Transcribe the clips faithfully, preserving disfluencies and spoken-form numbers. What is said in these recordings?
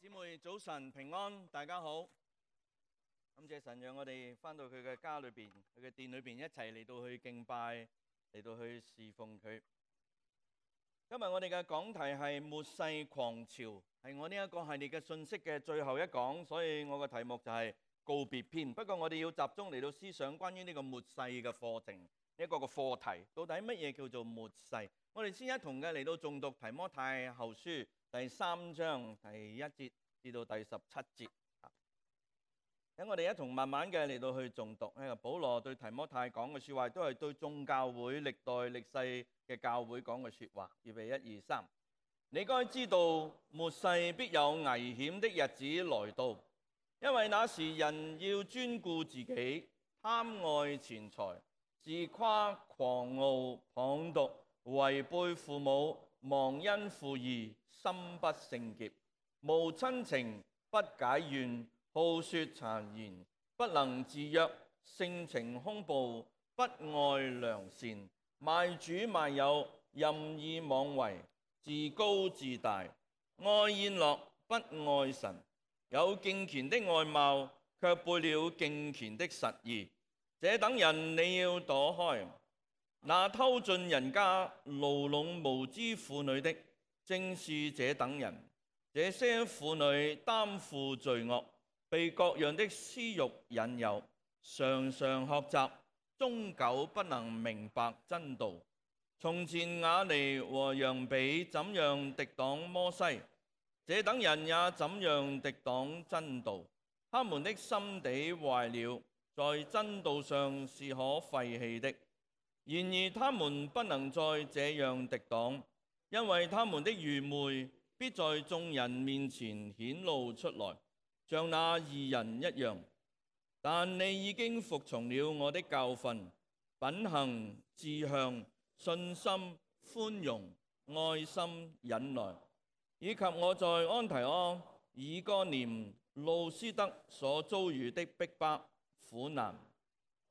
姊妹早晨平安，大家好。感謝神讓我哋返到佢嘅家裏邊，佢嘅殿裏邊一齊嚟到去敬拜，嚟到去侍奉佢。今日我哋嘅講題係末世狂潮，係我呢一個系列嘅信息嘅最後一講，所以我嘅題目就係告別篇。不過我哋要集中嚟到思想關於呢個末世嘅課程，一個個課題，到底乜嘢叫做末世？我哋先一同嘅嚟到誦讀提摩太後書第三章第一節至到第十七節。等我哋一同慢慢嘅嚟到去誦讀。呢個保羅對提摩太講嘅説話，都係對眾教會歷代歷世嘅教會講嘅説話。預備一二三，你該知道末世必有危險的日子來到，因為那時人要專顧自己，貪愛錢財，自誇狂傲，謗讟，違背父母，忘恩負義，心不聖潔，無親情，不解怨，好說讒言，不能自約，性情兇暴，不愛良善，賣主賣友，任意妄為，自高自大，愛宴樂，不愛神，有敬虔的外貌，卻背了敬虔的實意。這等人你要躲開。那偷盡人家、牢籠無知婦女的，正是這等人。這些婦女擔負罪惡，被各樣的私慾引誘，常常學習，終久不能明白真道。從前雅尼和楊比怎樣敵擋摩西，這等人也怎樣敵擋真道。他們的心地壞了，在真道上是可廢棄的。然而他們不能再這樣敵擋，因為他們的愚昧必在眾人面前顯露出來，像那義人一樣。但你已經服從了我的教訓，品行、志向、信心、寬容、愛心、忍耐，以及我在安提阿、以哥念、路斯德所遭遇的逼迫、苦難。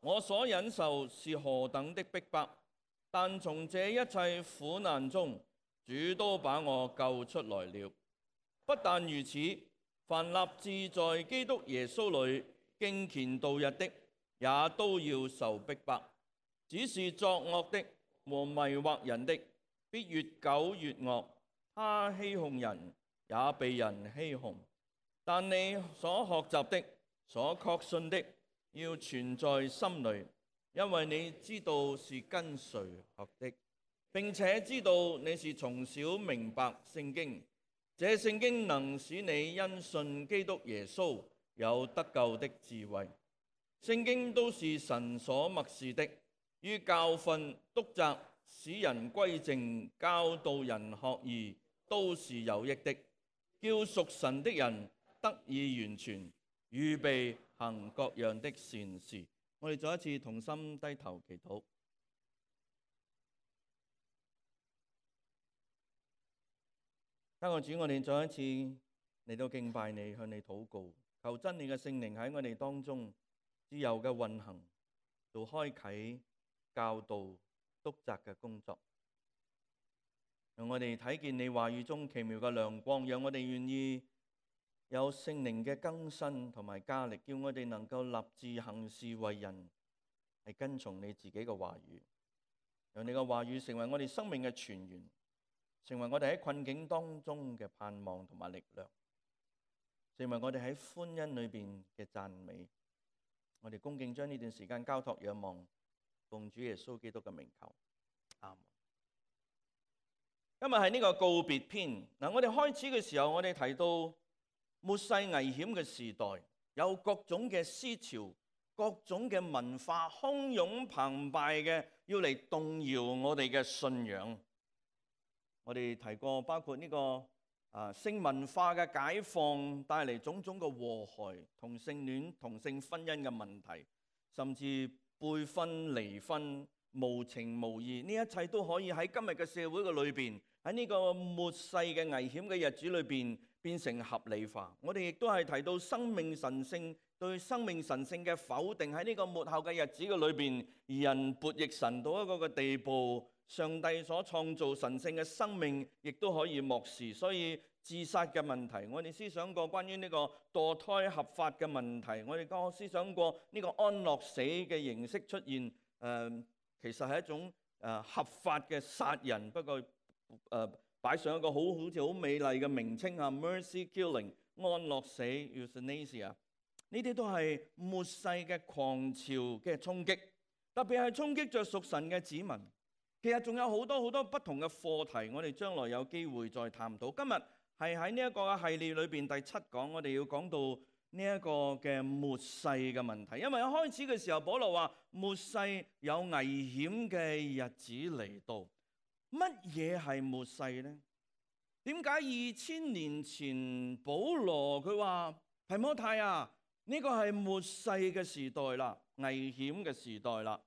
我所忍受是何等的逼迫，但從這一切苦難中，主都把我救出來了。不但如此，凡立志在基督耶穌裏敬虔度日的，也都要受逼迫。只是作惡的和迷惑人的，必越久越惡。他欺哄人，也被人欺哄。但你所學習的、所確信的，要存在心裏，因為你知道是跟誰學的，並且知道你是從小明白聖經。這聖經能使你因信基督耶穌有得救的智慧。聖經都是神所默示的，於教訓、督責、使人歸正、教導人學義，都是有益的，叫屬神的人得以完全，預備行各樣的善事。我哋再一次同心低頭祈禱。親愛的主，我哋再一次嚟到敬拜你，向你禱告，求真理嘅聖靈喺我哋當中自由嘅運行，做開啟、教導、督責嘅工作，讓我哋睇見你話語中奇妙嘅亮光，讓我哋願意有聖靈嘅更新同埋加力，叫我哋能夠立志行事為人，係跟從你自己嘅話語，讓你嘅話語成為我哋生命嘅泉源，成為我哋喺困境當中嘅盼望同埋力量，成為我哋喺歡欣裏邊嘅讚美。我哋恭敬將呢段時間交託仰望，奉主耶穌基督嘅名求，阿門。今日係呢個告別篇。嗱，我哋開始嘅時候，我哋提到末世危險嘅時代，有各種嘅思潮、各種嘅文化洶湧澎湃嘅，要嚟動搖我哋嘅信仰。我哋提過，包括呢個啊性文化嘅解放帶嚟種種嘅禍害，同性戀、同性婚姻嘅問題，甚至背婚、離婚、無情無義，呢一切都可以喺今日嘅社會嘅裏邊，喺呢個末世嘅危險嘅日子裏邊變成合理化。我哋亦都係提到生命神聖對生命神聖嘅否定，喺呢個末後嘅日子嘅裏邊，人悖逆神到一個嘅地步，上帝所創造神聖嘅生命亦都可以漠視。所以自殺嘅問題，我哋思想過關於呢個墮胎合法嘅問題，我哋個思想過呢個安樂死嘅形式出現，誒、呃、其實係一種誒、呃、合法嘅殺人，不過誒、呃、擺上一個好好似好美麗嘅名稱啊 ，mercy killing 安樂死 euthanasia， 呢啲都係末世嘅狂潮嘅衝擊，特別係衝擊着屬神嘅子民。其實仲有好多好多不同嘅課題，我哋將來有機會再探討。今日係喺呢一個系列裏邊第七講，我哋要講到呢一個嘅末世嘅問題。因為一開始嘅時候，保羅話末世有危險嘅日子嚟到。乜嘢係末世呢？點解二千年前保羅佢話提摩太啊，呢個係末世嘅時代啦，危險嘅時代啦。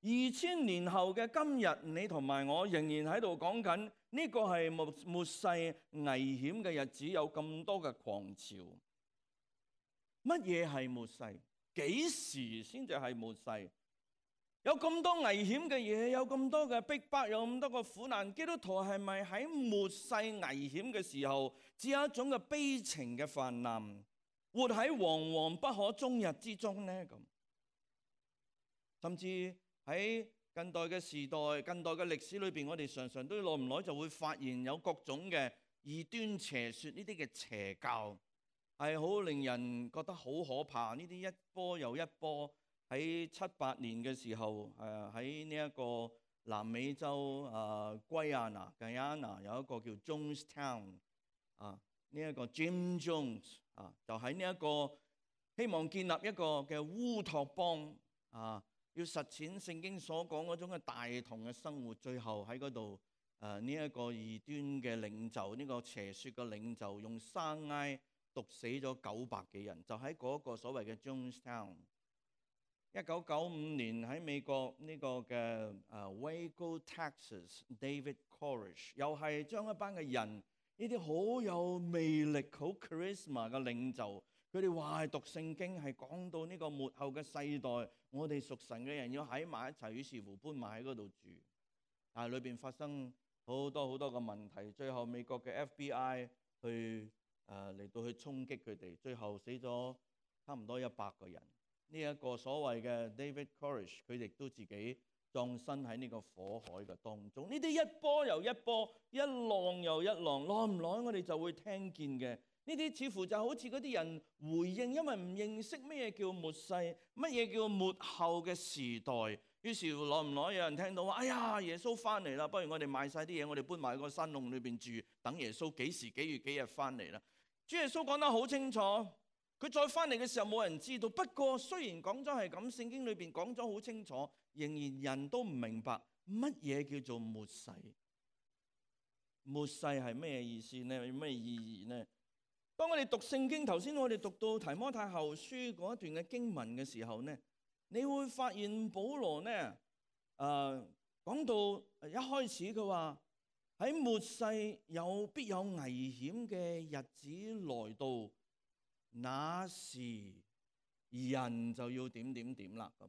二千年後嘅今日，你同埋我仍然喺度講緊呢個係末末世危險嘅日子，有咁多嘅狂潮。乜嘢係末世？幾時先至係末世？有咁多危險嘅嘢，有咁多嘅逼迫，有咁多嘅苦難，基督徒係咪喺末世危險嘅時候，只有一種嘅悲情嘅泛濫，活喺惶惶不可終日之中呢？咁甚至喺近代嘅時代、近代嘅歷史裏邊，我哋常常都耐唔耐就會發現有各種嘅異端邪説，呢啲嘅邪教係好令人覺得好可怕。呢啲一波又一波。喺七八年嘅時候，誒喺呢一個南美洲啊，圭亞那、Guyana 有一個叫 Jonestown 啊，呢一個 Jim Jones 啊，就喺呢一個希望建立一個嘅烏托邦啊。要實踐聖經所講嗰種嘅大同嘅生活，最後喺嗰度誒呢一個異端嘅領袖，呢、這個邪説嘅領袖，用生挨毒死咗九百幾人，就喺嗰個所謂嘅 Jonestown。一九九五年喺美國呢個嘅誒 Waco Texas，David Koresh 又係將一班嘅人，呢啲好有魅力、好 charisma 嘅領袖。佢哋話係讀聖經，係講到呢個末後嘅世代，我哋屬神嘅人要喺埋一齊，於是乎搬埋喺嗰度住。但係裏邊發生好多好多嘅問題，最後美國嘅 F B I 去誒嚟、呃、到去衝擊佢哋，最後死咗差唔多一百個人。呢、這、一個所謂嘅 David Koresh， 佢哋都自己葬身喺呢個火海嘅當中。呢啲一波又一波，一浪又一浪，耐唔耐我哋就會聽見嘅。呢啲似乎就好似嗰啲人回應，因為唔認識咩叫末世，乜嘢叫末後嘅時代。於是乎，耐唔耐有人聽到話：哎呀，耶穌翻嚟啦！不如我哋賣晒啲嘢，我哋搬埋喺個山窿裏邊住，等耶穌幾時幾月幾日翻嚟啦。主耶穌講得好清楚，佢再翻嚟嘅時候冇人知道。不過雖然講咗係咁，聖經裏邊講咗好清楚，仍然人都唔明白乜嘢叫做末世。末世係咩意思呢？有咩意義呢？當我哋讀聖經，頭先我哋讀到提摩太後書嗰一段嘅經文嘅時候呢，你會發現保羅呢，誒、呃、講到一開始佢話喺末世有必有危險嘅日子來到，那時人就要點點點啦咁。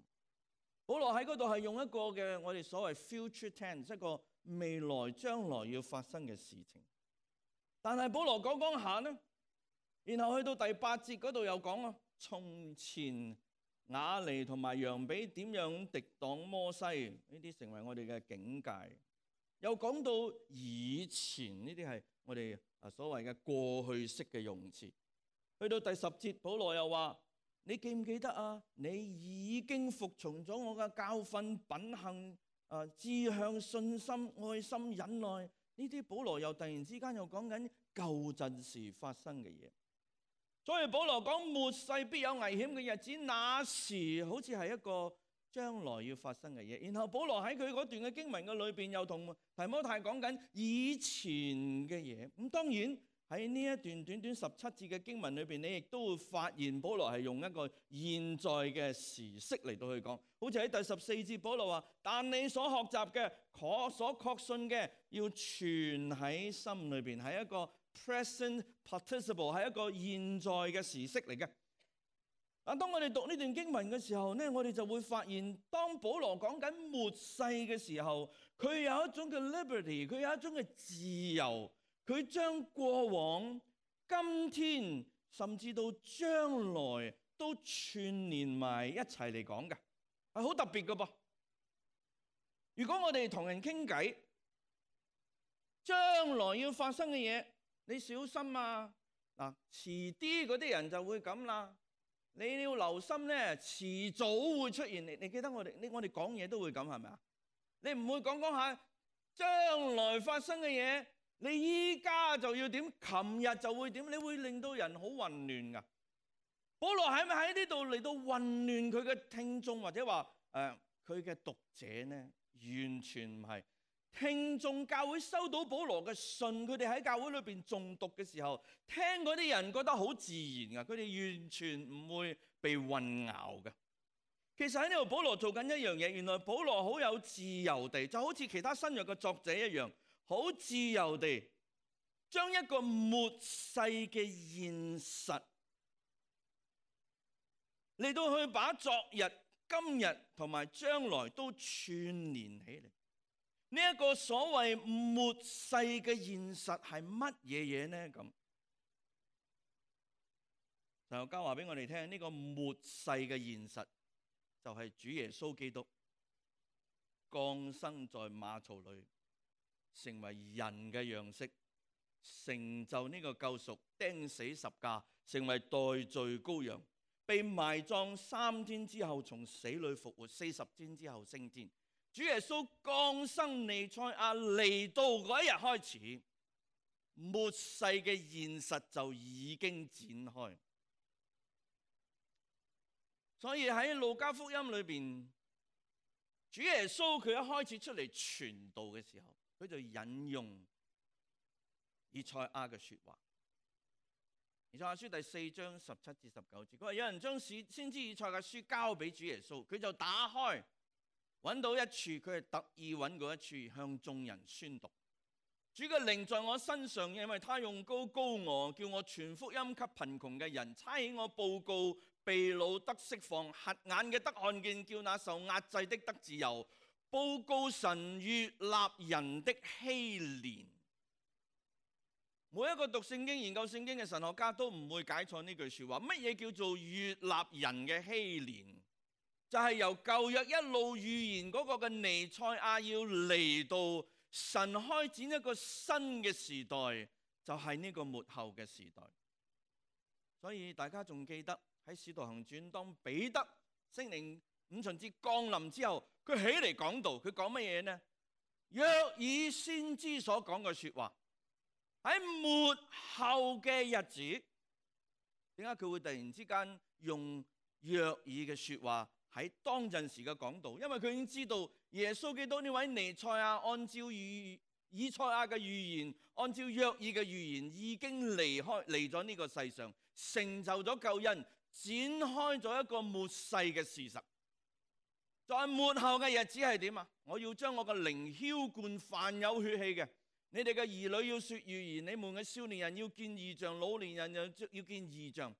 保羅喺嗰度係用一個嘅我哋所謂 future tense， 一個未來將來要發生嘅事情。但係保羅講講下呢，然後去到第八節嗰度又講啊，從前雅尼同埋楊比點樣敵擋摩西，呢啲成為我哋嘅警戒。又講到以前，呢啲係我哋啊所謂嘅過去式嘅用詞。去到第十節，保羅又話：你記唔記得啊？你已經服從咗我嘅教訓、品行、啊志向、信心、愛心、忍耐。呢啲保羅又突然之間又講緊舊陣時發生嘅嘢。所以保羅講末世必有危險嘅日子，那時好似係一個將來要發生嘅嘢。然後保羅喺佢嗰段嘅經文嘅裏邊又同提摩太講緊以前嘅嘢。咁當然喺呢一段短短十七節嘅經文裏邊，你亦都會發現保羅係用一個現在嘅時式嚟到去講。好似喺第十四節，保羅話：但你所學習嘅、可所確信嘅，要存喺心裏邊，係一個 present participle， 係一個現在嘅時式嚟嘅。啊，當我哋讀呢段經文嘅時候呢，我哋就會發現，當保羅講緊末世嘅時候，佢有一種嘅 liberty， 佢有一種嘅自由，佢將過往、今天甚至到將來都串連埋一齊嚟講嘅，係好特別嘅噃。如果我哋同人傾偈，將來要發生嘅嘢，你小心啊！嗱，遲啲嗰啲人就會咁啦。你要留心咧，遲早會出現。你你記得我哋，你我哋講嘢都會咁，係咪啊？你唔會講講下將來發生嘅嘢，你依家就要點，琴日就會點，你會令到人好混亂噶。保羅係咪喺呢度嚟到混亂佢嘅聽眾，或者話誒佢嘅讀者呢？完全唔係。聽眾教會收到保羅嘅信，佢哋喺教會裏邊誦讀嘅時候，聽嗰啲人覺得好自然噶，佢哋完全唔會被混淆嘅。其實喺呢度保羅做緊一樣嘢，原來保羅好有自由地，就好似其他新約嘅作者一樣，好自由地將一個末世嘅現實嚟到去把昨日、今日同埋將來都串連起嚟。呢一個所謂末世嘅現實係乜嘢嘢呢？咁神學家話俾我哋聽，呢個末世嘅現實就係主耶穌基督降生在馬槽裏，成為人嘅樣式，成就呢個救贖，釘死十架，成為代罪羔羊，被埋葬三天之後從死裏復活，四十天之後升天。主耶穌降生彌賽亞嚟到嗰一日開始，末世嘅現實就已經展開。所以喺路加福音裏邊，主耶穌佢一開始出嚟傳道嘅時候，佢就引用以賽亞嘅說話。以賽亞書第四章十七至十九節，佢話有人將先知以賽亞嘅書交俾主耶穌，佢就打開。揾到一處，佢係特意揾過一處向眾人宣讀。主嘅靈在我身上，因為他用膏膏我，叫我傳福音給貧窮嘅人，差遣我報告被擄得釋放，瞎眼嘅得看見，叫那受壓制的得自由，報告神悅納人的禧年。每一個讀聖經、研究聖經嘅神學家都唔會解錯呢句說話。乜嘢叫做悅納人嘅禧年？就係由舊約一路預言嗰個嘅彌賽亞要嚟到，神開展一個新嘅時代，就係呢個末後嘅時代。所以大家仲記得喺使徒行傳當彼得聖靈五旬節降臨之後，佢起嚟講道，佢講乜嘢呢？約以先知所講嘅說話，喺末後嘅日子，點解佢會突然之間用約以嘅說話喺當陣時嘅講道？因為佢已經知道耶穌基督呢位彌賽亞，按照預以賽亞嘅預言，按照約珥嘅預言，已經離開嚟咗呢個世上，成就咗救恩，展開咗一個末世嘅事實。在末後嘅日子係點啊？我要將我嘅靈澆灌凡有血氣嘅，你哋嘅兒女要說預言，你們嘅少年人要見異象，老年人又要見異象。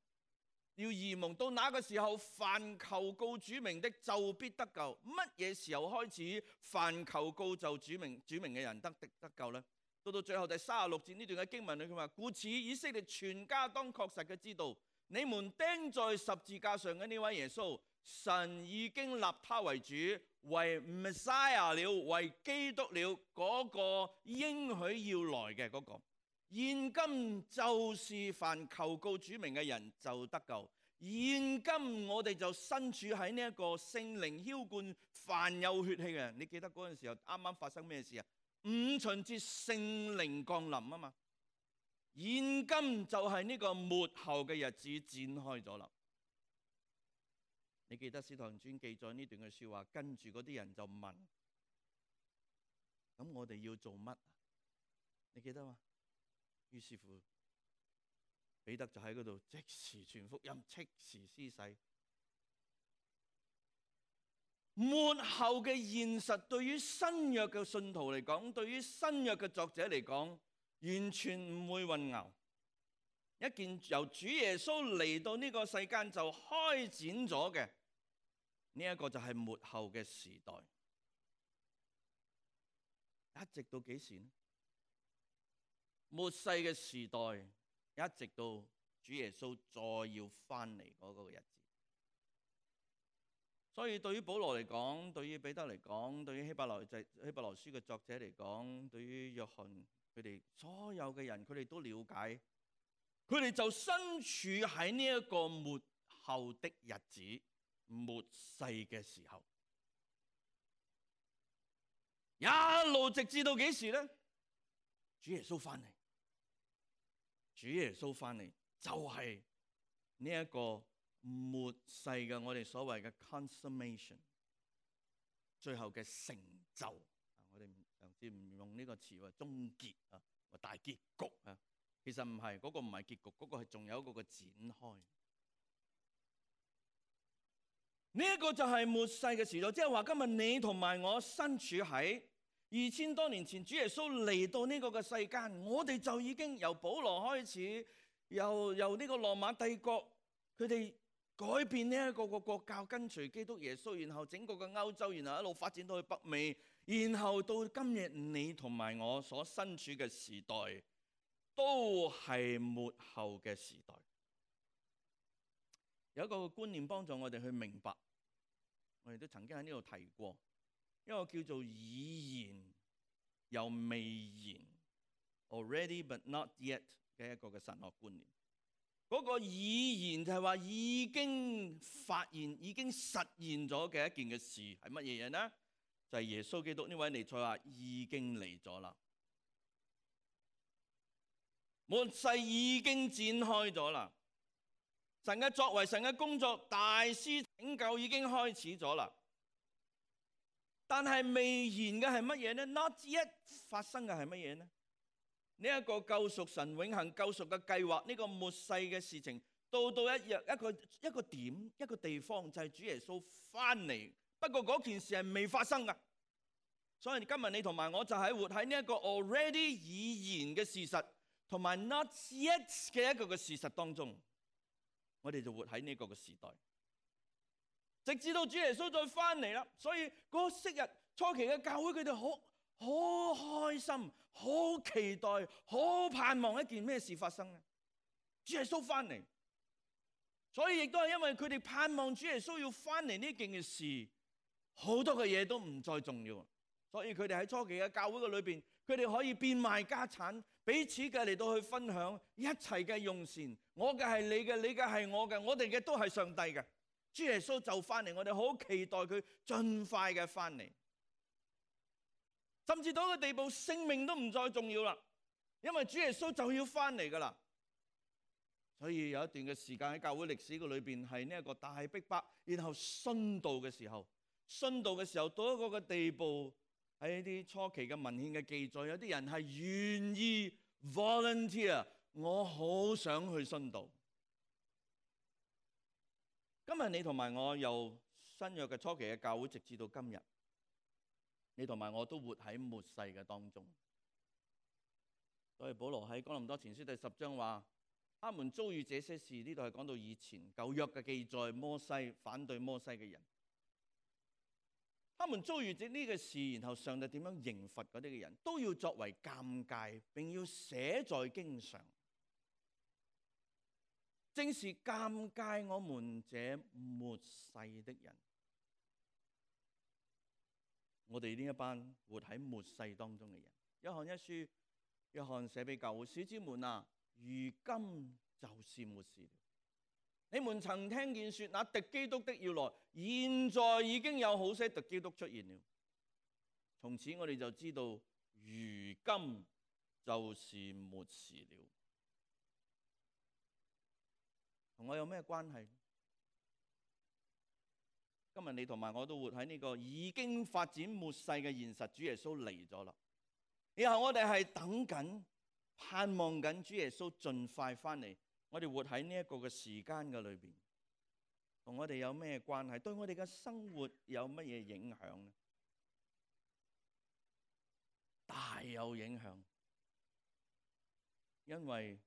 要異夢，到那個時候，凡求告主名的就必得救。乜嘢時候開始凡求告就主名主名嘅人得得得救呢？到到最後第三十六節呢段嘅經文裏，佢話：故此以色列全家當確實嘅知道，你們釘在十字架上嘅呢位耶穌，神已經立他為主，為 Messiah 了，為基督了，嗰個應許要來嘅嗰個。現今就是凡求告主名嘅人就得救。現今我哋就身處喺呢一個聖靈澆灌凡有血氣嘅人。你記得嗰陣時候啱啱發生咩事啊？五旬節聖靈降臨啊嘛。現今就係呢個末後嘅日子展開咗啦。你記得使徒行傳記載呢段嘅說話，跟住嗰啲人就問：咁我哋要做乜啊？你記得嗎？於是乎，彼得就喺嗰度即時傳福音，即時施洗。末後嘅現實對於新約嘅信徒嚟講，對於新約嘅作者嚟講，完全唔會混淆。一件由主耶穌嚟到呢個世間就開展咗嘅呢一個就係末後嘅時代，一直到幾時呢？末世嘅時代，一直到主耶穌再要翻嚟嗰個日子。所以對於保羅嚟講，對於彼得嚟講，對於希伯來就希伯來書嘅作者嚟講，對於約翰佢哋所有嘅人，佢哋都了解，佢哋就身處喺呢一個末後的日子、末世嘅時候，一路直至到幾時呢？主耶穌翻嚟，主耶穌翻嚟就係呢一個末世嘅我哋所謂嘅 consummation， 最後嘅成就。我哋上次唔用呢個詞話終結啊，或大結局啊，其實唔係，嗰個唔係結局，嗰個係仲有一個嘅展開。呢一個就係末世嘅時代，即係話今日你同埋我身處喺二千多年前，主耶穌嚟到呢個嘅世間，我哋就已經由保羅開始，由由呢個羅馬帝國佢哋改變呢一個個國教，跟隨基督耶穌，然後整個嘅歐洲，然後一路發展到去北美，然後到今日你同埋我所身處嘅時代，都係末後嘅時代。有一個觀念幫助我哋去明白，我哋都曾經喺呢度提過，一個叫做已然又未然 （already but not yet） 嘅一個嘅神學觀念。嗰個已然就係話已經發現、已經實現咗嘅一件嘅事係乜嘢嘢呢？就係耶穌基督呢位彌賽亞已經嚟咗啦，末世已經展開咗啦。神嘅作為、神嘅工作、大施拯救已經開始咗啦。但係未然嘅係乜嘢呢？ Not yet 發生嘅係乜嘢呢？呢一個救贖神永恆救贖嘅計劃，呢個末世嘅事情，到到一日一個一個點一個地方，就係主耶穌翻嚟。不過嗰件事係未發生噶，所以今日你同埋我就係活喺呢一個 already 已然嘅事實，同埋 not yet 嘅一個嘅事實當中。我哋就活喺呢個嘅時代，直至到主耶穌再翻嚟啦。所以嗰昔日初期嘅教會，佢哋好好開心、好期待、好盼望一件咩事發生呢？主耶穌翻嚟。所以亦都係因為佢哋盼望主耶穌要翻嚟呢件嘅事，好多嘅嘢都唔再重要。所以佢哋喺初期嘅教會嘅裏邊，佢哋可以變賣家產，彼此嘅嚟到去分享一齊嘅用膳。我嘅係你嘅，你嘅係我嘅，我哋嘅都係上帝嘅。主耶穌就翻嚟，我哋好期待佢盡快嘅翻嚟。甚至到一個地步，性命都唔再重要啦，因為主耶穌就要翻嚟噶啦。所以有一段嘅時間喺教會歷史嘅裏邊係呢一個大逼迫，然後殉道嘅時候，殉道嘅時候到一個嘅地步。喺啲初期嘅文獻嘅記載，有啲人係願意 volunteer， 我好想去殉道。今日你同埋我由新約嘅初期嘅教會，直至到今日，你同埋我都活喺末世嘅當中。所以保羅喺哥林多前書第十章話，他們遭遇這些事，呢度係講到以前舊約嘅記載，摩西反對摩西嘅人。他們遭遇呢個事，然後上帝點樣刑罰嗰啲嘅人，都要作為鑑戒，並要寫在經上。正是鑑戒我們這末世的人。我哋呢一班活喺末世當中嘅人，約翰一書，約翰寫俾教會，小子們啊，如今就是末世了。你們曾聽見說那敵基督的要來，現在已經有好些敵基督出現了。從此我哋就知道，如今就是末時了。同我有咩關係？今日你同埋我都活喺呢個已經發展末世嘅現實，主耶穌嚟咗啦。然後我哋係等緊、盼望緊主耶穌盡快翻嚟。我哋活喺呢一個嘅時間嘅裏邊，同我哋有咩關係？對我哋嘅生活有乜嘢影響呢？大有影響。因為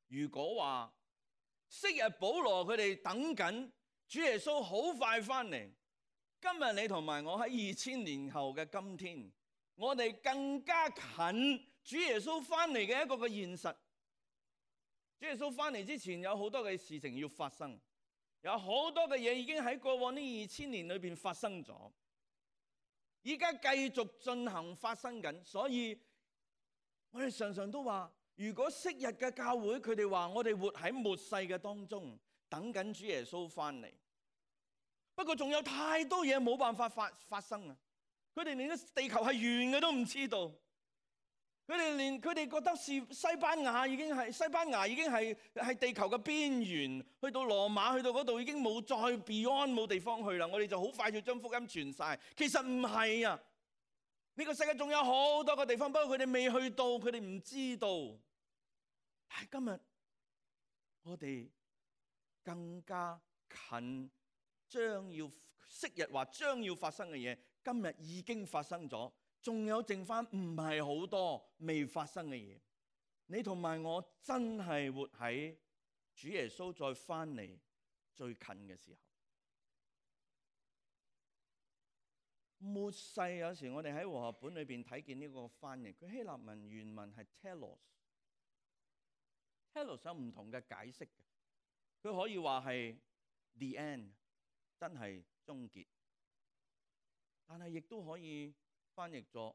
如果話昔日保羅佢哋等緊主耶穌好快翻嚟，今日你同埋我喺二千年後嘅今天，我哋更加近主耶穌翻嚟嘅一個嘅現實。主耶穌翻嚟之前有好多嘅事情要發生，有好多嘅嘢已經喺過往呢二千年裏邊發生咗，依家繼續進行發生緊。所以我哋常常都話，如果昔日嘅教會佢哋話我哋活喺末世嘅當中，等緊主耶穌翻嚟。不過仲有太多嘢冇辦法發發生啊！佢哋連地球係圓嘅都唔知道。佢哋連佢哋覺得是西班牙已經係西班牙已經係係地球嘅邊緣，去到羅馬去到嗰度已經冇再 beyond 冇地方去啦。我哋就好快就將福音傳晒。其實唔係啊！呢個世界仲有好多個地方，不過佢哋未去到，佢哋唔知道。但係今日我哋更加近將要昔日話將要發生嘅嘢，今日已經發生咗。仲有剩翻唔係好多未發生嘅嘢，你同埋我真係活喺主耶穌再翻嚟最近嘅時候。末世有時我哋喺和合本裏邊睇見呢個翻譯，佢希臘文原文係 telos，telos 有唔同嘅解釋嘅，佢可以話係 the end， 真係終結，但係亦都可以翻譯咗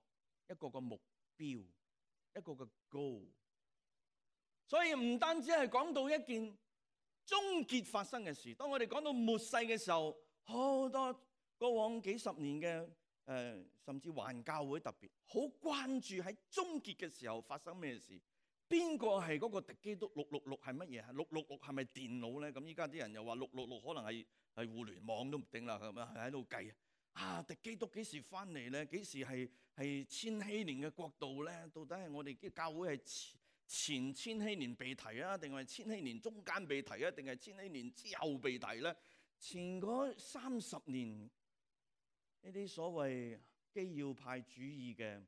一個個目標，一個個 goal。所以唔單止係講到一件終結發生嘅事，當我哋講到末世嘅時候，好多過往幾十年嘅誒、呃，甚至環教會特別好關注喺終結嘅時候發生咩事。邊個係嗰個敵基督？六六六係乜嘢？六六六係咪電腦咧？咁依家啲人又話六六六可能係係互聯網都唔定啦，咁啊喺度計。啊！敵基督幾時翻嚟咧？幾時係係千禧年嘅國度咧？到底係我哋嘅教會係前千禧年被提啊，定係千禧年中間被提啊，定係千禧年之後被提咧？前嗰三十年呢啲所謂基要派主義嘅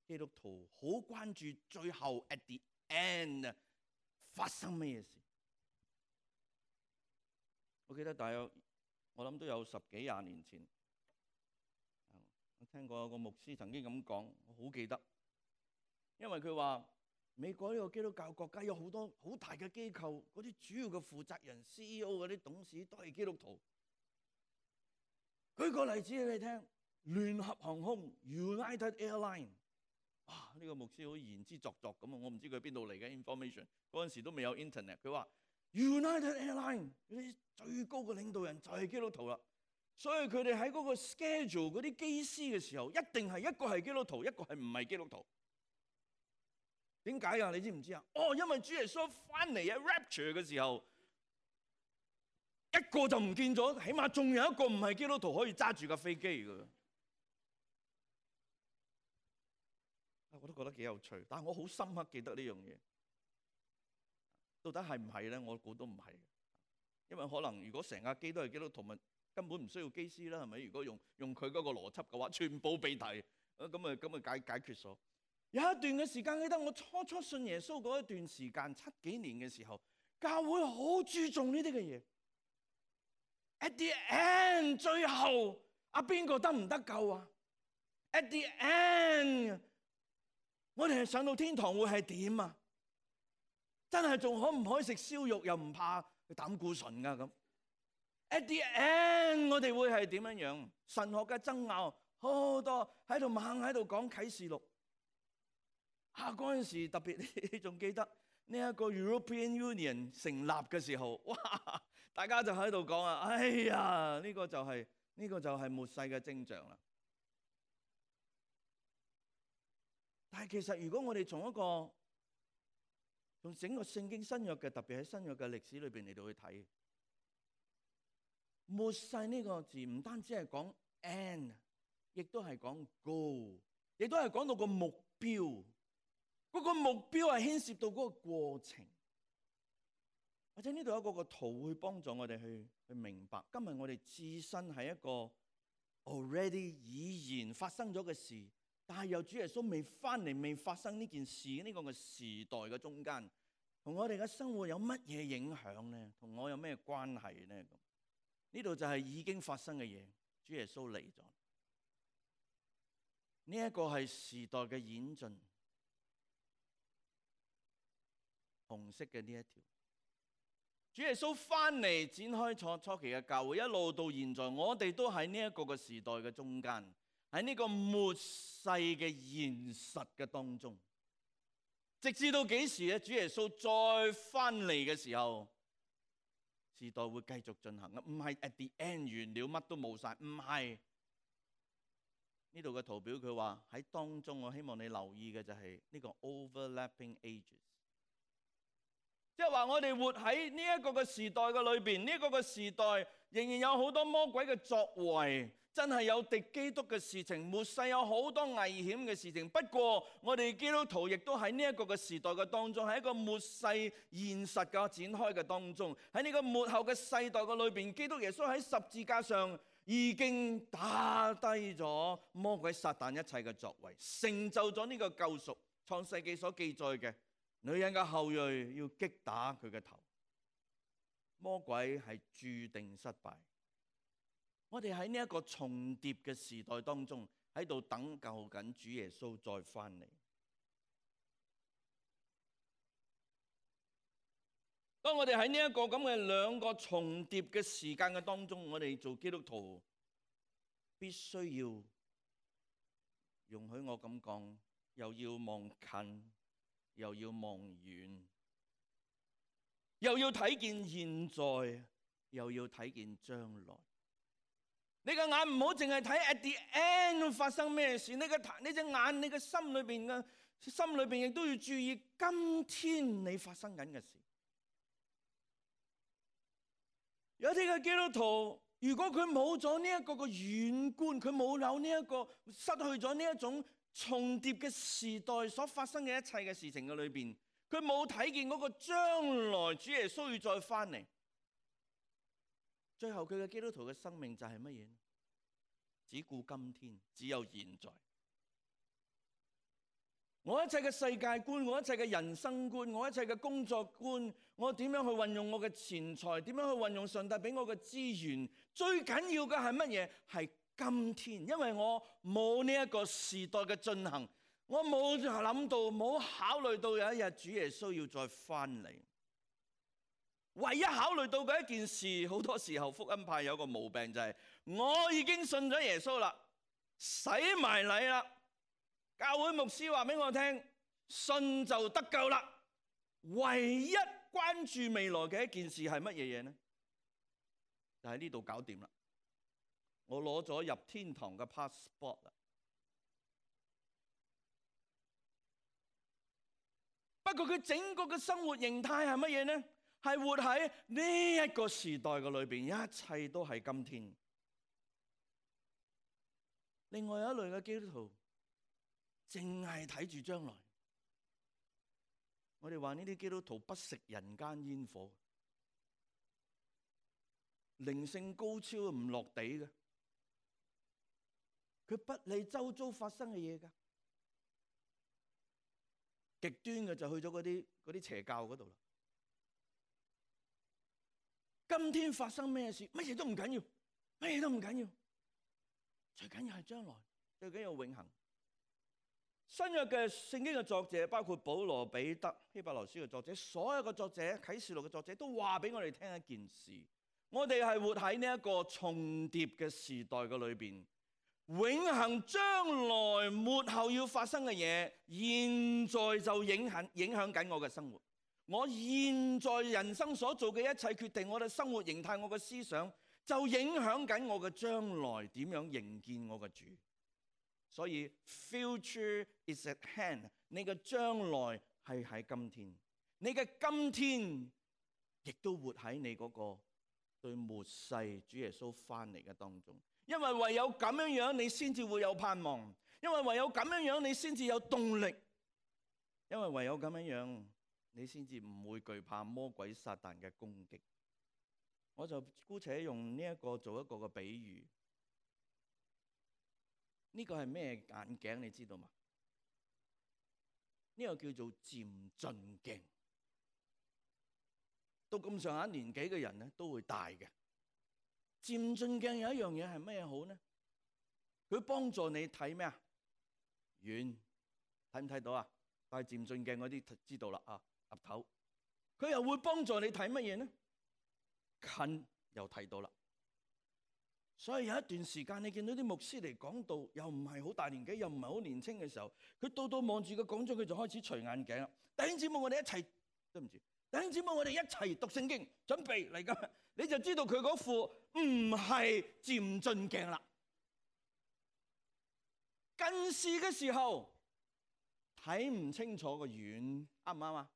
基督徒好關注最後 at the end 發生咩嘢事。我記得大約我諗都有十幾廿年前。我聽過有個牧師曾經咁講，我好記得，因為佢話美國呢個基督教國家有好多好大嘅機構，嗰啲主要嘅負責人 C E O 嗰啲董事都係基督徒。舉個例子俾你聽，聯合航空 United Airline， 哇！呢個牧師好言之鑿鑿咁啊，我唔知佢邊度嚟嘅 information， 嗰陣時都未有 internet。佢話 United Airline 嗰啲最高嘅領導人就係基督徒啦。所以佢哋喺嗰個 schedule 嗰啲機師嘅時候，一定係一個係基督徒，一個係唔係基督徒。點解啊？你知唔知啊？哦，因為主耶穌翻嚟喺 rapture 嘅時候，一個就唔見咗，起碼仲有一個唔係基督徒可以揸住架飛機㗎。我都覺得幾有趣，但係我好深刻記得呢樣嘢。到底係唔係咧？我估都唔係，因為可能如果成架機都係基督徒，咪根本唔需要機師啦，係咪？如果用用佢嗰個邏輯嘅話，全部被提，咁啊咁啊解解決咗。有一段嘅時間，記得我初初信耶穌嗰一段時間，七幾年嘅時候，教會好注重呢啲嘅嘢。At the end， 最後啊邊個得唔得救啊 ？At the end， 我哋係上到天堂會係點啊？真係仲可唔可以食燒肉又唔怕膽固醇噶咁？ At the end， 我哋會係點樣樣？神學嘅爭拗好多，喺度猛喺度講啟示錄。啊，嗰陣時特別，你仲記得呢一個 European Union 成立嘅時候，哇！大家就喺度講啊，哎呀，呢個就係呢個就係末世嘅徵象啦。但係其實如果我哋從一個從整個聖經新約嘅，特別喺新約嘅歷史裏邊嚟到去睇。末世呢個字唔單止係講 end， 亦都係講 goal， 亦都係講到個目標。嗰個目標係牽涉到嗰個過程。或者呢度有一個個圖會幫助我哋去去明白，今日我哋置身喺一個 already 已然發生咗嘅事，但係由主耶穌未翻嚟、未發生呢件事呢個嘅時代嘅中間，同我哋嘅生活有乜嘢影響呢？同我有咩關係呢？咁呢度就係已經發生嘅嘢，主耶穌嚟咗。呢一個係時代嘅演進。紅色嘅呢一條。主耶穌翻嚟展開初初期嘅教會，一路到現在，我哋都喺呢一個嘅時代嘅中間，喺呢個末世嘅現實嘅當中，直至到幾時咧？主耶穌再翻嚟嘅時候，時代會繼續進行嘅，唔係 at the end 完了乜都冇晒，唔係。呢度嘅圖表佢話喺當中，我希望你留意嘅就係呢個 overlapping ages。即係話我哋活喺呢一個嘅時代嘅裏邊，呢一個嘅時代仍然有好多魔鬼嘅作為，真係有敵基督嘅事情，末世有好多危險嘅事情。不過我哋基督徒亦都喺呢一個嘅時代嘅當中，喺一個末世現實嘅展開嘅當中，喺呢個末後嘅世代嘅裏邊，基督耶穌喺十字架上已經打低咗魔鬼撒旦一切嘅作為，成就咗呢個救贖。創世記所記載嘅。女人嘅後裔要擊打佢嘅頭，魔鬼係注定失敗。我哋喺呢一個重疊嘅時代當中，喺度等候緊主耶穌再翻嚟。當我哋喺呢一個咁嘅兩個重疊嘅時間嘅當中，我哋做基督徒必須要容許我咁講，又要望近，又要望遠，又要睇見現在，又要睇見將來。你嘅眼唔好淨係睇 at the end 發生咩事，你嘅你隻眼，你嘅心裏邊嘅心裏邊亦都要注意今天你發生緊嘅事。有啲嘅基督徒，如果佢冇咗呢一個嘅遠觀，佢冇有呢一個失去咗呢一種重疊嘅時代所發生嘅一切嘅事情嘅裏邊，佢冇睇見嗰個將來主耶穌要再翻嚟。最後佢嘅基督徒嘅生命就係乜嘢？只顧今天，只有現在。我一切嘅世界觀，我一切嘅人生觀，我一切嘅工作觀，我點樣去運用我嘅錢財，點樣去運用上帝俾我嘅資源，最緊要嘅係乜嘢？係今天。因為我冇呢一個時代嘅進行，我冇諗到，冇考慮到有一日主耶穌要再翻嚟。唯一考慮到嘅一件事，好多時候福音派有個毛病就係，我已經信咗耶穌啦，洗埋禮啦，教會牧師話俾我聽，信就得救啦。唯一關注未來嘅一件事係乜嘢嘢呢？就喺呢度搞掂啦。我攞咗入天堂嘅 passport 啦。不過佢整個嘅生活形態係乜嘢呢？係活喺呢一個時代嘅裏邊，一切都係今天。另外有一類嘅基督徒，淨係睇住將來。我哋話呢啲基督徒不食人間煙火，靈性高超唔落地嘅，佢不理周遭發生嘅嘢㗎。極端嘅就去咗嗰啲嗰啲邪教嗰度啦。今天發生咩事，乜嘢都唔緊要，乜嘢都唔緊要，最緊要係將來，最緊要永恆。新約嘅聖經嘅作者，包括保羅、彼得、希伯來書嘅作者，所有嘅作者、啟示錄嘅作者，都話俾我哋聽一件事：我哋係活喺呢一個重疊嘅時代嘅裏邊，永恆將來末後要發生嘅嘢，現在就影響影響緊我嘅生活。我現在人生所做嘅一切決定，我嘅生活形態，我嘅思想，就影響緊我嘅將來點樣迎見我嘅主。所以 future is at hand， 你嘅將來係喺今天，你嘅今天亦都活喺你嗰個對末世主耶穌翻嚟嘅當中。因為唯有咁樣樣，你先至會有盼望；因為唯有咁樣樣，你先至有動力；因為唯有咁樣樣，你先至唔會懼怕魔鬼撒旦嘅攻擊。我就姑且用呢一個做一個嘅比喻。呢個係咩眼鏡？你知道嗎？呢個叫做漸進鏡。到咁上下年紀嘅人咧，都會戴嘅。漸進鏡有一樣嘢係咩好呢？佢幫助你睇咩啊？遠，睇唔睇到啊？戴漸進鏡嗰啲知道啦啊，岌頭佢又會幫助你睇乜嘢呢？近又睇到啦。所以有一段時間，你見到啲牧師嚟講道，又唔係好大年紀，又唔係好年輕嘅時候，佢到到望住個講章，佢就開始除眼鏡啦。弟兄姊妹，我哋一齊，對唔住，弟兄姊妹，我哋一齊讀聖經，準備嚟㗎，你就知道佢嗰副唔係漸進鏡啦。近視嘅時候睇唔清楚個遠，啱唔啱啊？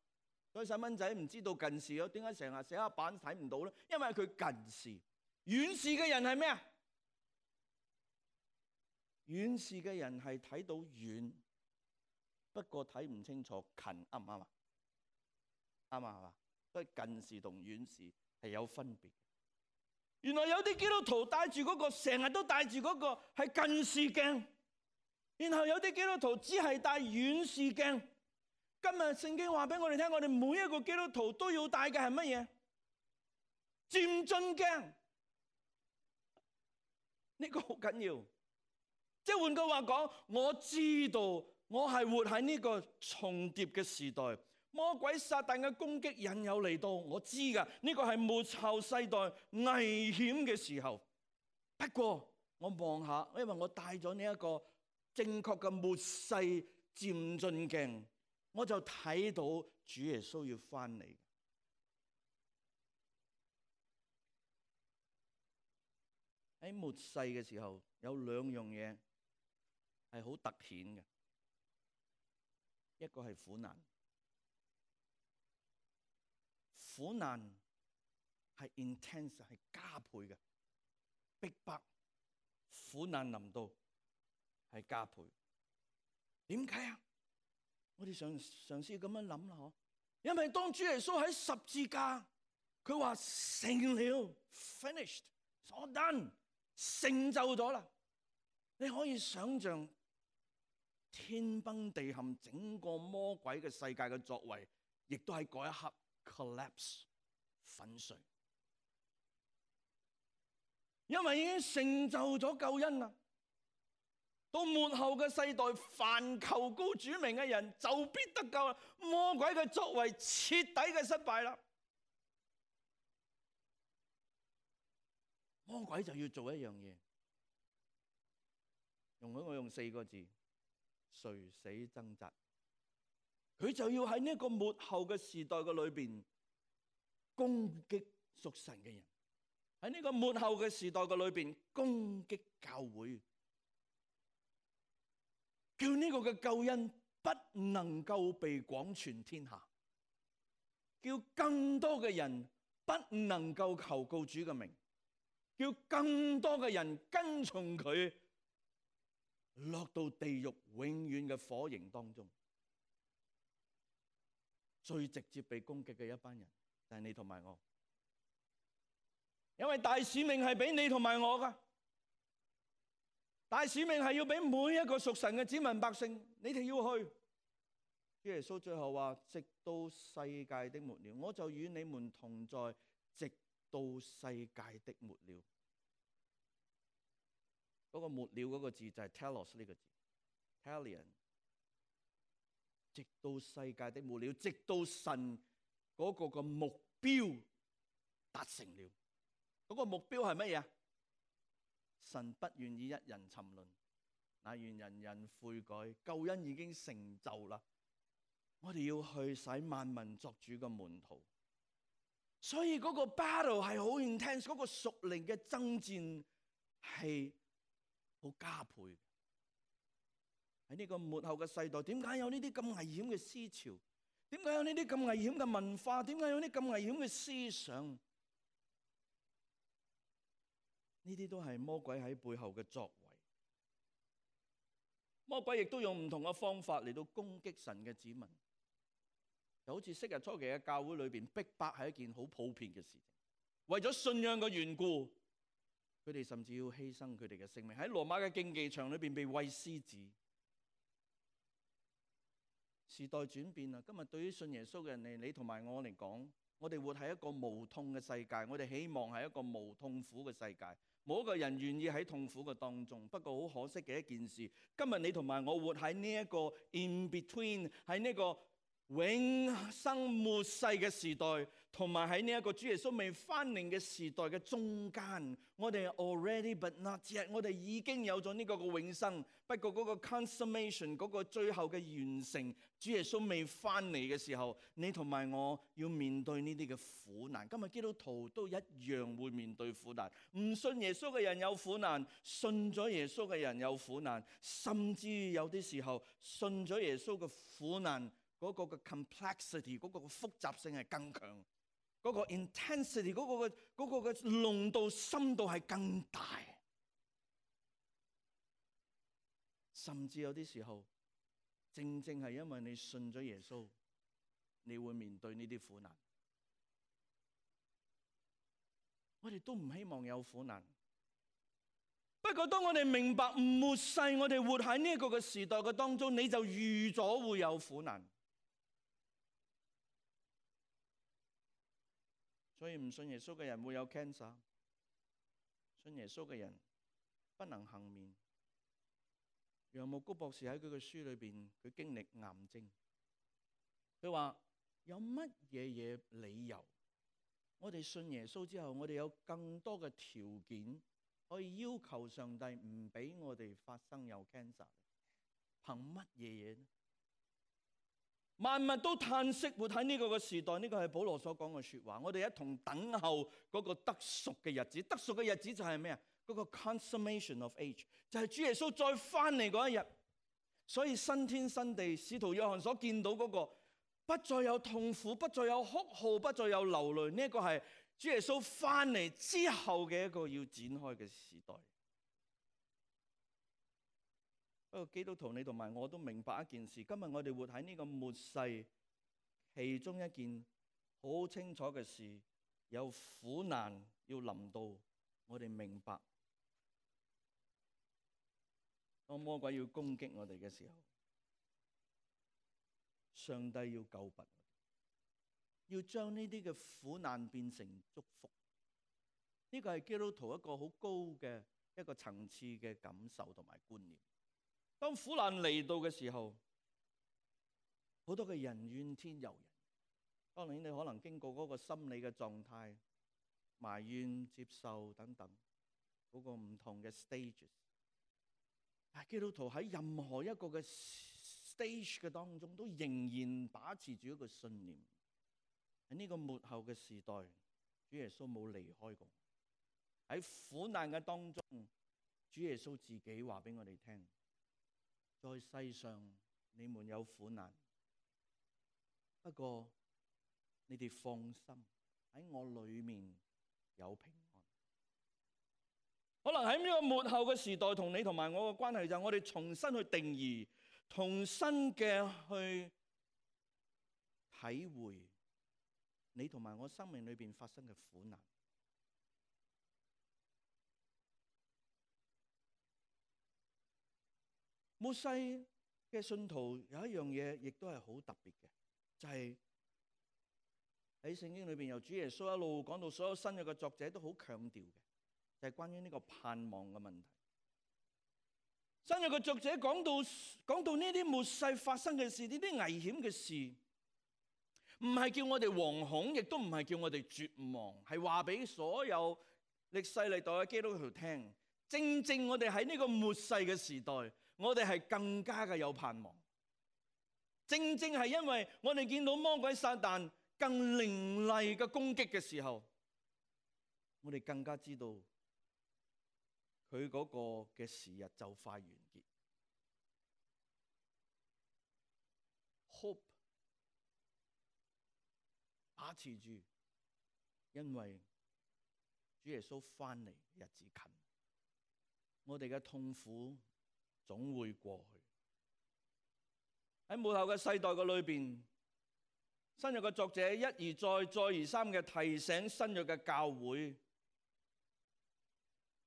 所以細蚊仔唔知道近視咯，點解成日寫黑板睇唔到咧？因為佢近視。遠視嘅人係咩啊？遠視嘅人係睇到遠，不過睇唔清楚近，啱唔啱啊？啱啊，係嘛？所以近視同遠視係有分別。原來有啲基督徒戴住嗰個，成日都戴住嗰個係近視鏡，然後有啲基督徒只係戴遠視鏡。今日聖經話俾我哋聽，我哋每一個基督徒都要戴嘅係乜嘢？漸進鏡。呢個好緊要，即係換句話講，我知道我係活喺呢個重疊嘅時代，魔鬼撒旦嘅攻擊引誘嚟到，我知㗎，呢個係末後世代危險嘅時候。不過我望下，因為我戴咗呢一個正確嘅末世漸進鏡，我就睇到主耶穌要翻嚟。喺末世嘅時候，有兩樣嘢係好突顯嘅，一個係苦難，苦難係 intense 係加倍嘅，逼迫，苦難臨到係加倍。點解啊？我哋嘗嘗試咁樣諗啦，嗬，因為當主耶穌喺十字架，佢話成了 ，finished， all done。成就咗啦！你可以想象天崩地陷，整個魔鬼嘅世界嘅作為，亦都喺嗰一刻 collapse 粉碎，因為已經成就咗救恩啦。到末後嘅世代，凡求告主名嘅人就必得救啦。魔鬼嘅作為徹底嘅失敗啦。魔鬼就要做一樣嘢，容許我用四個字：垂死掙扎。佢就要喺呢個末後嘅時代嘅裏邊攻擊屬神嘅人，喺呢個末後嘅時代嘅裏邊攻擊教會，叫呢個嘅救恩不能夠被廣傳天下，叫更多嘅人不能夠求告主嘅名。叫更多嘅人跟從佢，落到地獄永遠嘅火刑當中。最直接被攻擊嘅一班人就係你同埋我，因為大使命係俾你同埋我噶，大使命係要俾每一個屬神嘅子民百姓，你哋要去。主耶穌最後話：直到世界的末了，我就與你們同在，直到世界的末了。嗰個末了嗰個字就係 telos 呢個字 ，telion。直到世界的末了，直到神嗰個個目標達成了。嗰個目標係乜嘢？神不願意一人沉淪，乃願人人悔改。救恩已經成就啦，我哋要去使萬民作主嘅門徒。所以嗰個 battle 係好 intense，嗰個屬靈嘅爭戰係好加倍。喺呢個末後嘅世代，點解有呢啲咁危險嘅思潮？點解有呢啲咁危險嘅文化？點解有呢啲咁危險嘅思想？呢啲都係魔鬼喺背後嘅作為。魔鬼亦都用唔同嘅方法嚟到攻擊神嘅子民。就好似昔日初期嘅教會裏邊，逼迫係一件好普遍嘅事情。為咗信仰嘅緣故，佢哋甚至要犧牲佢哋嘅性命。喺羅馬嘅競技場裏邊被餵獅子。時代轉變啦，今日對於信耶穌嘅人嚟，你同埋我嚟講，我哋活喺一個無痛嘅世界，我哋希望係一個無痛苦嘅世界，冇一個人願意喺痛苦嘅當中。不過好可惜嘅一件事，今日你同埋我活喺呢一個 in between，喺呢個永生末世嘅時代，同埋喺呢一個主耶穌未翻嚟嘅時代嘅中間，我哋 already but not yet，我哋已經有咗呢個嘅永生。不過嗰個 consummation 嗰個最後嘅完成，主耶穌未翻嚟嘅時候，你同埋我要面對呢啲嘅苦難。今日基督徒都一樣會面對苦難，唔信耶穌嘅人有苦難，信咗耶穌嘅人有苦難，甚至有啲時候信咗耶穌嘅苦難嗰個嘅 complexity， 嗰個嘅複雜性係更強，嗰個 intensity， 嗰個嘅嗰個嘅濃度深度係更大，甚至有啲時候，正正係因為你信咗耶穌，你會面對呢啲苦難。我哋都唔希望有苦難，不過當我哋明白末世，我哋活喺呢一個嘅時代嘅當中，你就預咗會有苦難。所以唔信耶穌嘅人會有 cancer， 信耶穌嘅人不能幸免。楊牧谷博士喺佢嘅書裏邊，佢經歷癌症，佢話有乜嘢嘢理由，我哋信耶穌之後，我哋有更多嘅條件可以要求上帝唔俾我哋發生有 cancer， 憑乜嘢嘢呢？萬物都嘆息活喺呢個嘅時代，呢個係保羅所講嘅說話。我哋一同等候嗰個得贖嘅日子，得贖嘅日子就係咩啊？嗰個 consummation of age， 就係主耶穌再翻嚟嗰一日。所以新天新地，使徒約翰所見到嗰個不再有痛苦，不再有哭號，不再有流淚，呢一個係主耶穌翻嚟之後嘅一個要展開嘅時代。不過基督徒你同埋我都明白一件事，今日我哋活喺呢個末世，其中一件好清楚嘅事，有苦難要臨到，我哋明白。當魔鬼要攻擊我哋嘅時候，上帝要救拔我哋，要將呢啲嘅苦難變成祝福。呢個係基督徒一個好高嘅一個層次嘅感受同埋觀念。當苦難嚟到嘅時候，好多嘅人怨天尤人。當然你可能經過嗰個心理嘅狀態，埋怨、接受等等嗰個唔同嘅 stages。但係基督徒喺任何一個嘅 stage 嘅當中，都仍然把持住一個信念。喺呢個末後嘅時代，主耶穌冇離開過。喺苦難嘅當中，主耶穌自己話俾我哋聽，在世上你們有苦難，不過你哋放心，喺我裏面有平安。可能喺呢個末後嘅時代，同你同埋我嘅關係就係我哋重新去定義，重新嘅去體會你同埋我生命裏邊發生嘅苦難。末世嘅信徒有一樣嘢，亦都係好特別嘅，就係喺聖經裏邊由主耶穌一路講到所有新約嘅作者都好強調嘅，就係關於呢個盼望嘅問題。新約嘅作者講到講到呢啲末世發生嘅事，呢啲危險嘅事，唔係叫我哋惶恐，亦都唔係叫我哋絕望，係話俾所有歷世歷代嘅基督徒聽。正正我哋喺呢個末世嘅時代，我哋係更加嘅有盼望。正正係因為我哋見到魔鬼撒旦更凌厲嘅攻擊嘅時候，我哋更加知道佢嗰個嘅時日就快完結。Hope 把持住，因為主耶穌翻嚟日子近，我哋嘅痛苦總會過去。喺末後嘅世代嘅裏邊，新約嘅作者一而再、再而三嘅提醒新約嘅教會，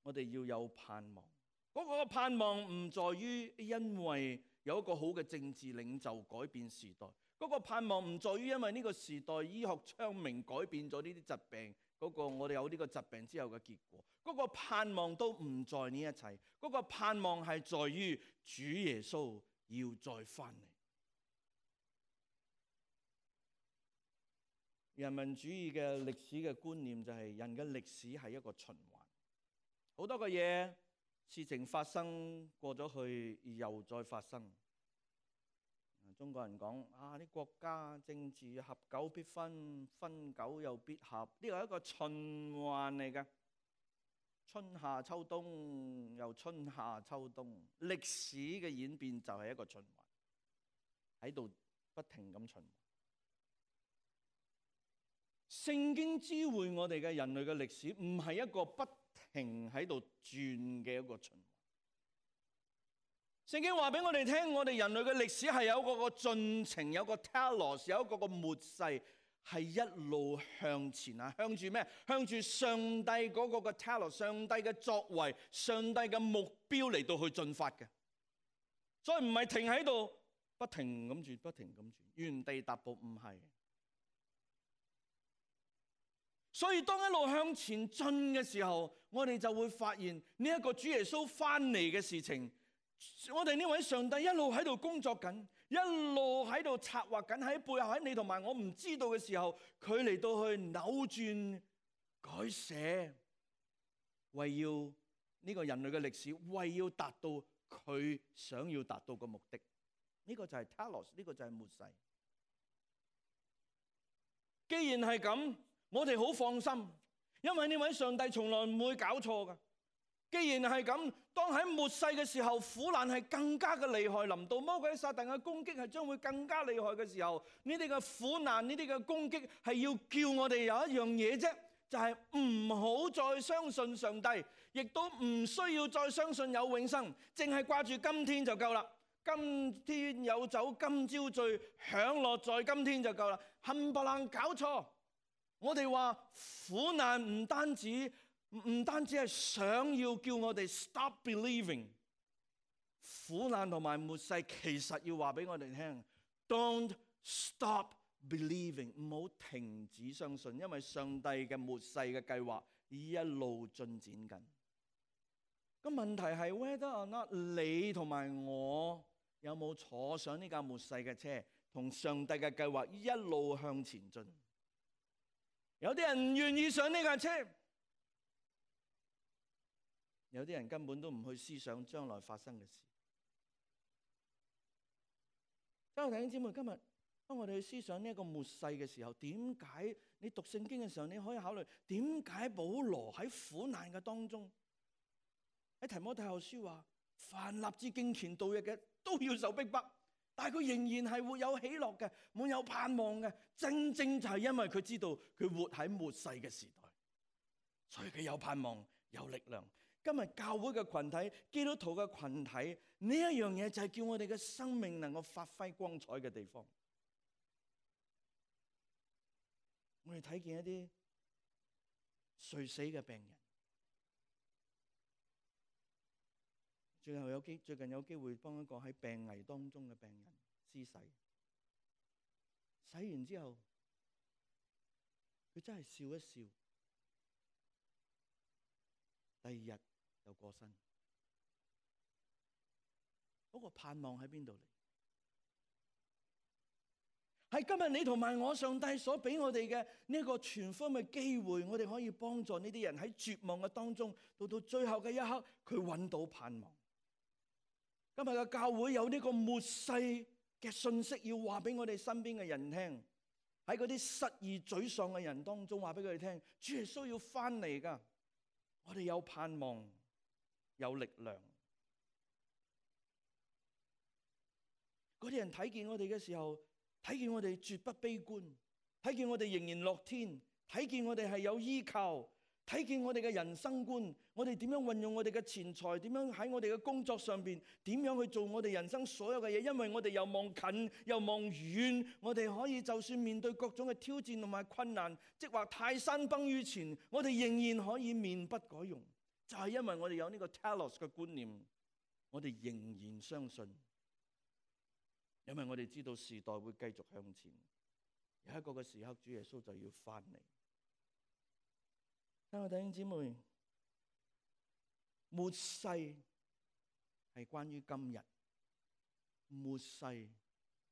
我哋要有盼望。嗰個盼望唔在於因為有一個好嘅政治領袖改變時代，嗰個盼望唔在於因為呢個時代醫學昌明改變咗呢啲疾病，嗰個我哋有呢個疾病之後嘅結果。嗰個盼望都唔在呢一切，嗰個盼望係在於主耶穌要再翻嚟。人民主義嘅歷史嘅觀念就係人嘅歷史係一個循環，好多嘅嘢事情發生過咗去，又再發生。中國人講啊，啲國家政治合久必分，分久又必合，呢個係一個循環嚟嘅。春夏秋冬又春夏秋冬，歷史嘅演變就係一個循環，喺度不停咁循環。聖經知會我哋嘅人類嘅歷史，唔係一個不停喺度轉嘅一個循環。聖經話俾我哋聽，我哋人類嘅歷史係有一個個進程，有個 telos， 有一個個末世。係一路向前啊！向住咩？向住上帝嗰個嘅 telos， 上帝嘅作為，上帝嘅目標嚟到去進發嘅。所以唔係停喺度，不停咁轉，不停咁轉，原地踏步，唔係。所以當一路向前進嘅時候，我哋就會發現呢一個主耶穌翻嚟嘅事情，我哋呢位上帝一路喺度工作緊。一路喺度策劃緊，喺背後，喺你同埋我唔知道嘅時候，佢嚟到去扭轉改寫，為要呢個人類嘅歷史，為要達到佢想要達到嘅目的。呢個就係 telos， 呢個就係末世。既然係咁，我哋好放心，因為呢位上帝從來唔會搞錯㗎。既然係咁，當喺末世嘅時候，苦難係更加嘅厲害，臨到魔鬼撒旦嘅攻擊係將會更加厲害嘅時候，呢啲嘅苦難，呢啲嘅攻擊係要叫我哋有一樣嘢啫，就係唔好再相信上帝，亦都唔需要再相信有永生，淨係掛住今天就夠啦。今天有酒今朝醉，享樂在今天就夠啦。冚唪唥搞錯，我哋話苦難唔單止。唔單止係想要叫我哋 stop believing， 苦難同埋末世其實要話俾我哋聽 ，don't stop believing， 唔好停止相信，因為上帝嘅末世嘅計劃一路進展緊。個問題係 whether or not 你同埋我有冇坐上呢架末世嘅車，同上帝嘅計劃一路向前進。有啲人唔願意上呢架車。有啲人根本都唔去思想將來發生嘅事。所以弟兄姊妹，今日當我哋去思想呢一個末世嘅時候，點解你讀聖經嘅時候，你可以考慮點解保羅喺苦難嘅當中，喺提摩太後書話，凡立志敬虔度日嘅都要受逼迫，但係佢仍然係會有喜樂嘅，滿有盼望嘅。正正就係因為佢知道佢活喺末世嘅時代，所以佢有盼望，有力量。今日教會嘅群體，基督徒嘅群體，呢一樣嘢就係叫我哋嘅生命能夠發揮光彩嘅地方。我哋睇見一啲垂死嘅病人，最後有機最近有機會幫一個喺病危當中嘅病人施洗，洗完之後，佢真係笑一笑，第二日又過身。嗰個盼望喺邊度嚟？係今日你同埋我，上帝所俾我哋嘅呢一個全方位嘅機會，我哋可以幫助呢啲人喺絕望嘅當中，到到最後嘅一刻，佢揾到盼望。今日嘅教會有呢個末世嘅信息要話俾我哋身邊嘅人聽，喺嗰啲失意沮喪嘅人當中話俾佢哋聽，主耶穌要翻嚟㗎，我哋有盼望，有力量。嗰啲人睇見我哋嘅時候，睇見我哋絕不悲觀，睇見我哋仍然樂天，睇見我哋係有依靠，睇見我哋嘅人生觀，我哋點樣運用我哋嘅錢財，點樣喺我哋嘅工作上邊，點樣去做我哋人生所有嘅嘢，因為我哋又望近又望遠，我哋可以就算面對各種嘅挑戰同埋困難，即係話泰山崩於前，我哋仍然可以面不改容，就係因為我哋有呢個 telos 嘅觀念，我哋仍然相信。因為我哋知道時代會繼續向前，有一個嘅時刻，主耶穌就要翻嚟。親愛弟兄姊妹，末世係關於今日，末世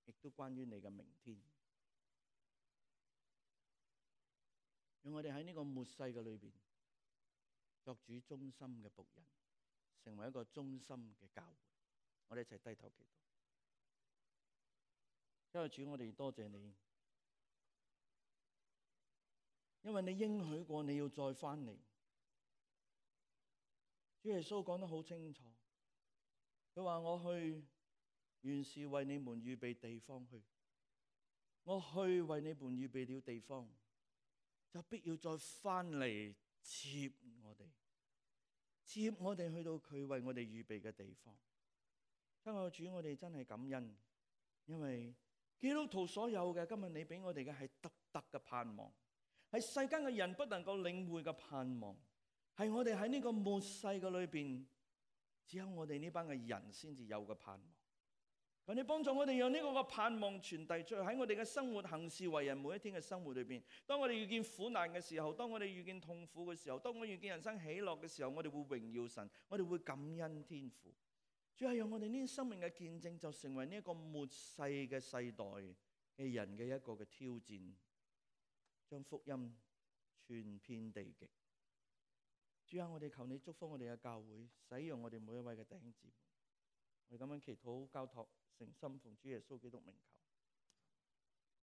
亦都關於你嘅明天。讓我哋喺呢個末世嘅裏邊作主忠心嘅僕人，成為一個忠心嘅教會。我哋一齊低頭祈禱。因為主，我哋多謝你，因為你應許過你要再翻嚟。主耶穌講得好清楚，佢話我去原是為你們預備地方去，我去為你們預備了地方，就必要再翻嚟接我哋，接我哋去到佢為我哋預備嘅地方。親愛的主，我哋真係感恩，因為基督徒所有嘅，今日你俾我哋嘅係獨特嘅盼望，係世間嘅人不能夠領會嘅盼望，係我哋喺呢個末世嘅裏邊，只有我哋呢班嘅人先至有嘅盼望。求你幫助我哋，讓呢個嘅盼望傳遞出去，喺我哋嘅生活行事為人每一天嘅生活裏邊。當我哋遇見苦難嘅時候，當我哋遇見痛苦嘅時候，當我哋遇見人生喜樂嘅時候，我哋會榮耀神，我哋會感恩天父。主要係讓我哋呢啲生命嘅見證，就成為呢一個末世嘅世代嘅人嘅一個嘅挑戰，將福音傳遍地極。主啊，我哋求你祝福我哋嘅教會，使用我哋每一位嘅弟兄姊妹。我哋咁樣祈禱交託，誠心奉主耶穌基督名求。